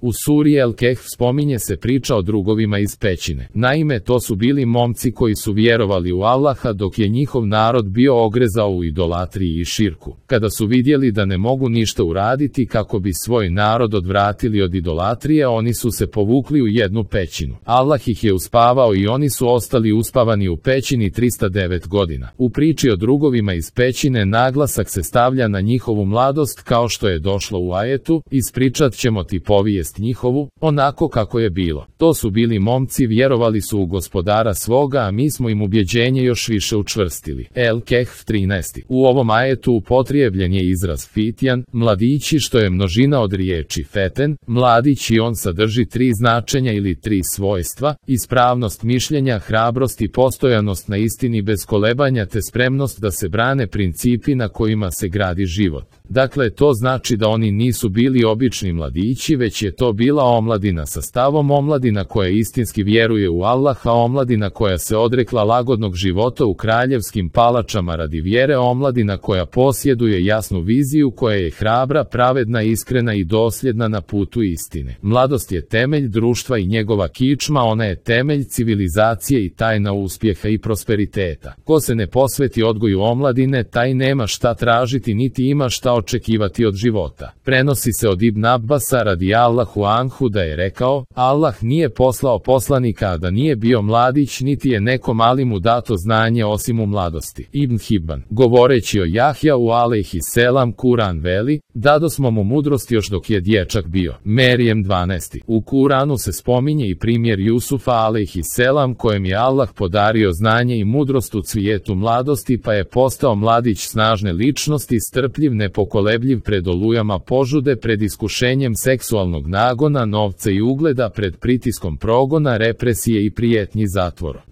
U suri El Kehf spominje se priča o drugovima iz pećine. Naime, to su bili momci koji su vjerovali u Allaha dok je njihov narod bio ogrezao u idolatriji i širku. Kada su vidjeli da ne mogu ništa uraditi kako bi svoj narod odvratili od idolatrije, oni su se povukli u jednu pećinu. Allah ih je uspavao i oni su ostali uspavani u pećini 309 godina. U priči o drugovima iz pećine naglasak se stavlja na njihovu mladost kao što je došlo u ajetu: ispričat ćemo ti povijest njihovu, onako kako je bilo. To su bili momci, vjerovali su u Gospodara svoga, a mi smo im ubjeđenje još više učvrstili. El Kehf 13. U ovom ajetu upotrijebljen je izraz fitjan, mladići, što je množina od riječi feten, mladić, i on sadrži 3 značenja ili 3 svojstva: ispravnost mišljenja, hrabrost i postojanost na istini bez kolebanja, te spremnost da se brane principi na kojima se gradi život. Dakle, to znači da oni nisu bili obični mladići, već je to bila omladina sa stavom, omladina koja istinski vjeruje u Allaha, omladina koja se odrekla lagodnog života u kraljevskim palačama radi vjere, omladina koja posjeduje jasnu viziju, koja je hrabra, pravedna, iskrena i dosljedna na putu istine. Mladost je temelj društva i njegova kičma, ona je temelj civilizacije i tajna uspjeha i prosperiteta. Ko se ne posveti odgoju omladine, taj nema šta tražiti niti ima šta očekivati od života. Prenosi se od Ibn Abbasa radijallahu anhu da je rekao: Allah nije poslao poslanika, a da nije bio mladić, niti je nekom alimu dato znanje osim u mladosti. Ibn Hibban, govoreći o Jahjau alejhi selam, Kuran veli: dadosmo mu mudrost još dok je dječak bio. Merijem 12. U Kuranu se spominje i primjer Jusufa alejhi selam, kojem je Allah podario znanje i mudrost u cvijetu mladosti, pa je postao mladić snažne ličnosti, strpljiv, nepokolebljiv pred olujama požude, pred iskušenjem seksualnog nagona, novca i ugleda, pred pritiskom progona, represije i prijetnji zatvorom.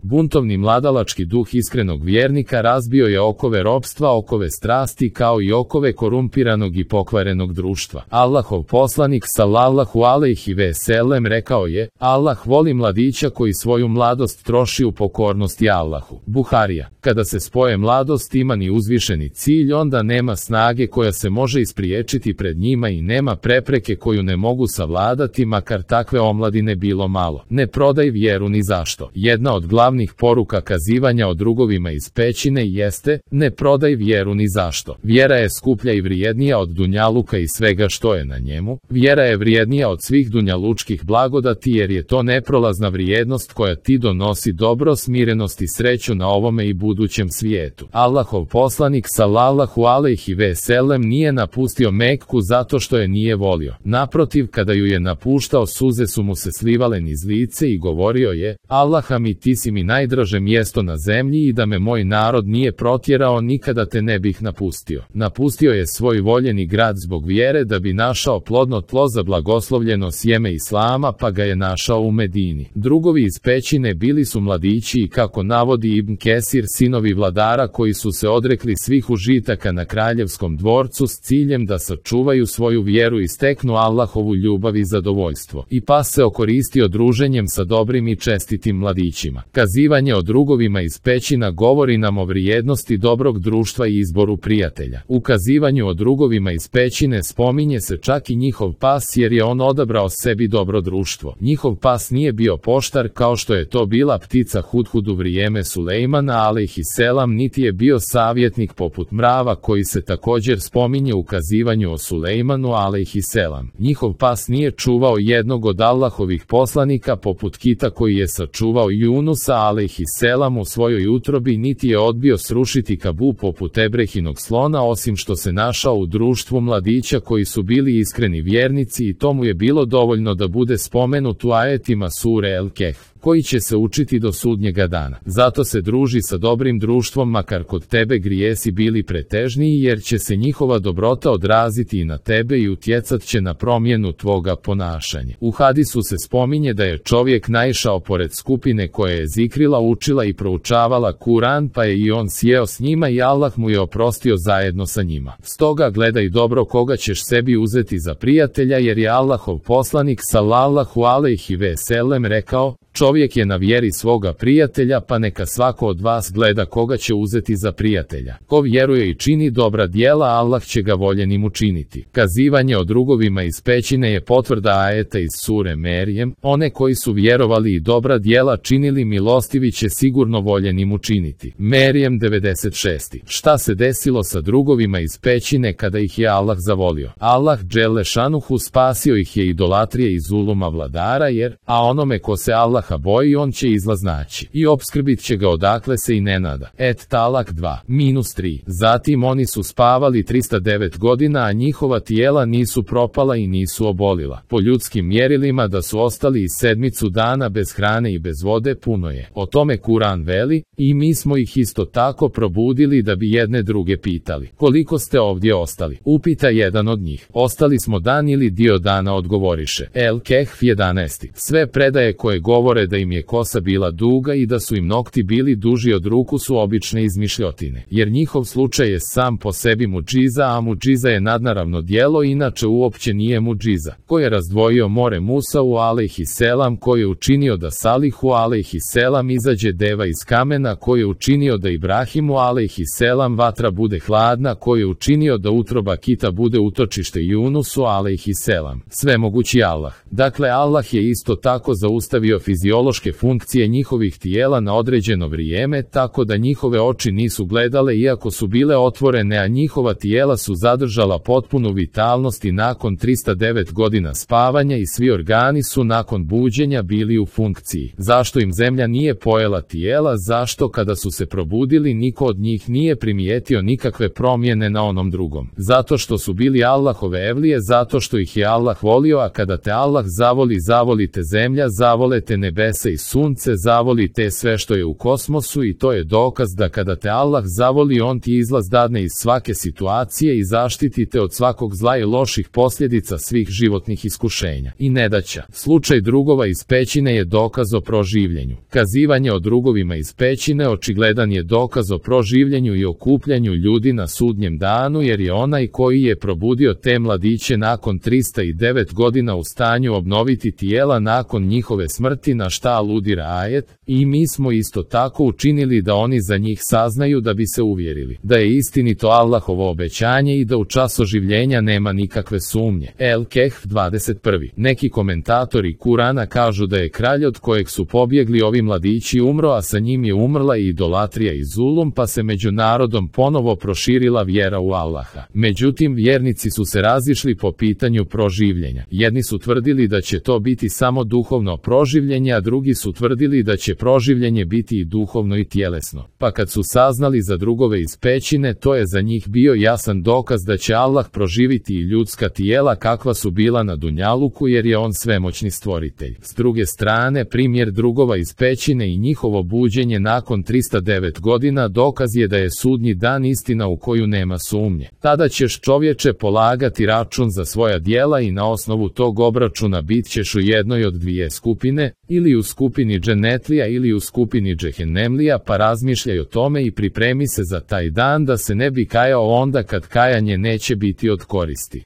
Buntovni mladalački duh iskrenog vjernika razbio je okove ropstva, okove strasti, kao i okove korumpiranog i pokvarenog društva. Allahov poslanik sallallahu alejhi ve sellem rekao je: Allah voli mladića koji svoju mladost troši u pokornosti Allahu. Buharija. Kada se spoje mladost, iman i uzvišeni cilj, onda nema snage koja se može ispriječiti pred njima i nema prepreke koju ne mogu savladati, makar takve omladine bilo malo. Ne prodaj vjeru ni zašto. Jedna od glavnih poruka kazivanja o drugovima iz pećine jeste: ne prodaj vjeru ni zašto. Vjera je skuplja i vrijednija od dunjaluka i svega što je na njemu. Vjera je vrijednija od svih dunjalučkih blagodati, jer je to neprolazna vrijednost koja ti donosi dobro, smirenost i sreću na ovome i budućem svijetu. Allahov poslanik sallallahu alejhi ve sellem nije napustio Mekku zato što je nije volio. Naprotiv, kada ju je napuštao, suze su mu se slivale niz lice i govorio je: Allaha mi, ti si mi najdraže mjesto na zemlji i da me moj narod nije protjerao, nikada te ne bih napustio. Napustio je svoj voljeni grad zbog vjere da bi našao plodno tlo za blagoslovljeno sjeme Islama, pa ga je našao u Medini. Drugovi iz pećine bili su mladići i, kako navodi Ibn Kesir, sinovi vladara koji su se odrekli svih užitaka na kraljevskom dvorcu s ciljem da sačuvaju svoju vjeru i steknu Allahovu ljubav i zadovoljstvo. I pas se okoristio druženjem sa dobrim i čestitim mladićima. Kazivanje o drugovima iz pećina govori nam o vrijednosti dobrog društva i izboru prijatelja. U kazivanju o drugovima iz pećine spominje se čak i njihov pas, jer je on odabrao sebi dobro društvo. Njihov pas nije bio poštar kao što je to bila ptica Hudhud u vrijeme Sulejmana alejhi selam, niti je bio savjetnik poput mrava koji se također spominje u kazivanju o Sulejmanu alejhi selam. Njihov pas nije čuvao jednog od Allahovih poslanika poput kita koji je sačuvao Junusa alejhi selam u svojoj utrobi, niti je odbio srušiti Kabu poput Ebrehinog slona, osim što se našao u društvu mladića koji su bili iskreni vjernici, i tomu je bilo dovoljno da bude spomenut u ajetima sure El Kehf, koji će se učiti do sudnjega dana. Zato se druži sa dobrim društvom, makar kod tebe grijesi bili pretežniji, jer će se njihova dobrota odraziti i na tebe i utjecat će na promjenu tvoga ponašanja. U hadisu se spominje da je čovjek naišao pored skupine koja je zikrila, učila i proučavala Kuran, pa je i on sjeo s njima i Allah mu je oprostio zajedno sa njima. Stoga gledaj dobro koga ćeš sebi uzeti za prijatelja, jer je Allahov poslanik sallallahu alejhi ve sellem rekao: Čovjek je na vjeri svoga prijatelja, pa neka svako od vas gleda koga će uzeti za prijatelja. Ko vjeruje i čini dobra djela, Allah će ga voljenim učiniti. Kazivanje o drugovima iz pećine je potvrda ajeta iz sure Merijem, one koji su vjerovali i dobra djela činili, milostivi će sigurno voljenim učiniti. Merijem 96. Šta se desilo sa drugovima iz pećine kada ih je Allah zavolio? Allah dželle šanuhu spasio ih je idolatrije i zuluma vladara, a onome ko se Allaha boji, on će izlaz naći i opskrbit će ga odakle se i ne nada. Talak 2-3. Zatim oni su spavali 309 godina, a njihova tijela nisu propala i nisu obolila. Po ljudskim mjerilima da su ostali i 7 dana bez hrane i bez vode puno je. O tome Kur'an veli, i mi smo ih isto tako probudili da bi jedne druge pitali: koliko ste ovdje ostali? Upita jedan od njih: ostali smo dan ili dio dana, odgovoriše. El-Kehf 11. Sve predaje koje govore da im je kosa bila duga i da su im nokti bili duži od ruku su obične izmišljotine, jer njihov slučaj je sam po sebi mudžiza, a mudžiza je nadnaravno djelo, inače uopće nije mudžiza. Ko je razdvojio more Musau alejhiselam, ko je učinio da Salihu alejhiselam izađe deva iz kamena, ko je učinio da Ibrahimu alejhiselam vatra bude hladna, ko je učinio da utroba kita bude utočište Junusu alejhiselam. Svemogući Allah. Dakle, Allah je isto tako zaustavio fiziološke funkcije njihovih tijela na određeno vrijeme, tako da njihove oči nisu gledale iako su bile otvorene, a njihova tijela su zadržala potpunu vitalnost i nakon 309 godina spavanja i svi organi su nakon buđenja bili u funkciji. Zašto im zemlja nije pojela tijela? Zašto kada su se probudili niko od njih nije primijetio nikakve promjene na onom drugom? Zato što su bili Allahove evlije, zato što ih je Allah volio, a kada te Allah zavoli, zavolite zemlja, zavolite nebesa i sunce, zavolite sve što je u kosmosu, i to je dokaz da kada te Allah zavoli, on ti izlaz dadne iz svake situacije i zaštitite od svakog zla i loših posljedica svih životnih iskušenja i nedaća. Slučaj drugova iz pećine je dokaz o proživljenju. Kazivanje o drugovima iz pećine očigledan je dokaz o proživljenju i okupljanju ljudi na sudnjem danu, jer je onaj koji je probudio te mladiće nakon 309 godina u stanju obnoviti tijela nakon njihove smrti, na šta aludira ajet: i mi smo isto tako učinili da oni za njih saznaju da bi se uvjerili da je istinito Allahovo obećanje i da u čas oživljenja nema nikakve sumnje. El-Kehf 21. Neki komentatori Kurana kažu da je kralj od kojeg su pobjegli ovi mladići umro, a sa njim je umrla i idolatrija i zulum, pa se među narodom ponovo proširila vjera u Allaha. Međutim, vjernici su se razišli po pitanju proživljenja. Jedni su tvrdili da će to biti samo duhovno proživljenje, a drugi su tvrdili da će proživljenje biti i duhovno i tjelesno. Pa kad su saznali za drugove iz pećine, to je za njih bio jasan dokaz da će Allah proživiti i ljudska tijela kakva su bila na dunjaluku, jer je on svemoćni stvoritelj. S druge strane, primjer drugova iz pećine i njihovo buđenje nakon 309 godina dokaz je da je sudnji dan istina u koju nema sumnje. Tada ćeš, čovječe, polagati račun za svoja djela i na osnovu tog obračuna bit ćeš u jednoj od dvije skupine, ili u skupini dženetlija ili u skupini džehennemlija, pa razmišljaj o tome i pripremi se za taj dan da se ne bi kajao onda kad kajanje neće biti od koristi.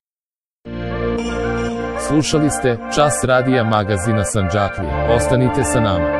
Slušali ste Čas radija magazina Sandžaklija. Ostanite sa nama.